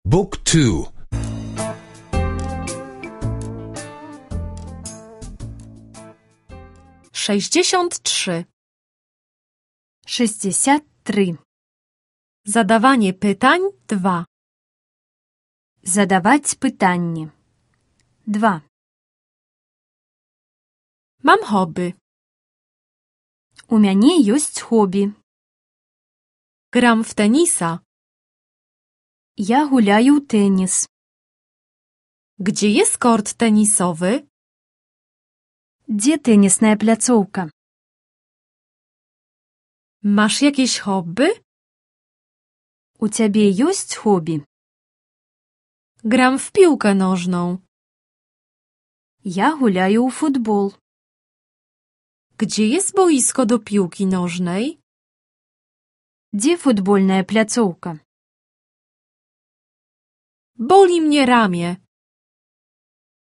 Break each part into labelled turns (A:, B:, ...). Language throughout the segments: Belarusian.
A: Book 2.
B: 63.
C: 63.
B: Zadawanie pytań 2.
C: Задаваць пытанні. 2.
B: Mam hobby.
C: У мяне ёсць хобі.
B: Gram w tenisa.
C: Я гуляю ў тэніс.
B: Gdzie jest kort tenisowy?
C: Дзе тэнісная пляцоўка?
B: Masz jakieś hobby?
C: У цябе ёсць хобі?
B: Gram w piłkę nożną.
C: Я гуляю ў футбол.
B: Gdzie jest boisko do piłki nożnej?
C: Дзе футбольная пляцоўка?
B: Boli mnie ramię.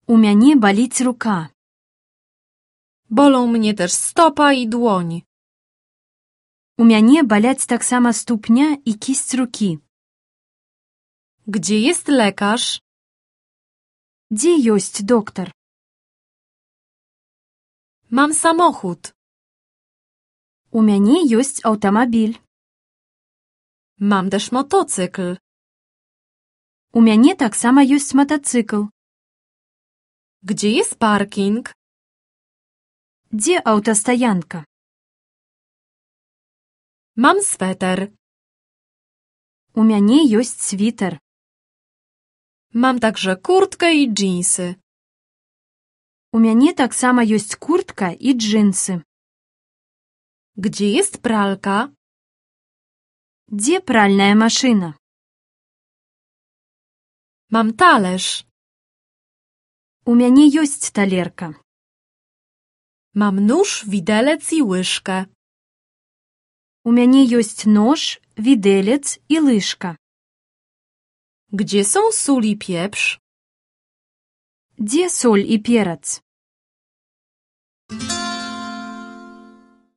C: У мяне баліць рука.
B: Bolą mnie też stopa i dłoń.
C: У мяне баляць таксама ступня і кісць рукі.
B: Gdzie jest lekarz?
C: Дзе ёсць доктар?
B: Mam samochód.
C: У мяне ёсць аўтамабіль.
B: Mam też motocykl.
C: У мяне таксама ёсць матацыкл.
B: Gdzie jest parking?
C: Дзе аўтастаянка?
B: Mam sweter.
C: У мяне ёсць світер.
B: Mam także kurtkę i dżinsy.
C: У мяне таксама ёсць куртка і джинсы.
B: Gdzie jest pralka?
C: Дзе пральная машына?
B: Mam talerz.
C: У мяне ёсць талерка.
B: Mam nóż, widelec i łyżkę.
C: У мяне ёсць нож, відэлец і лыжка.
B: Gdzie są sól i pieprz?
C: Дзе соль і перац?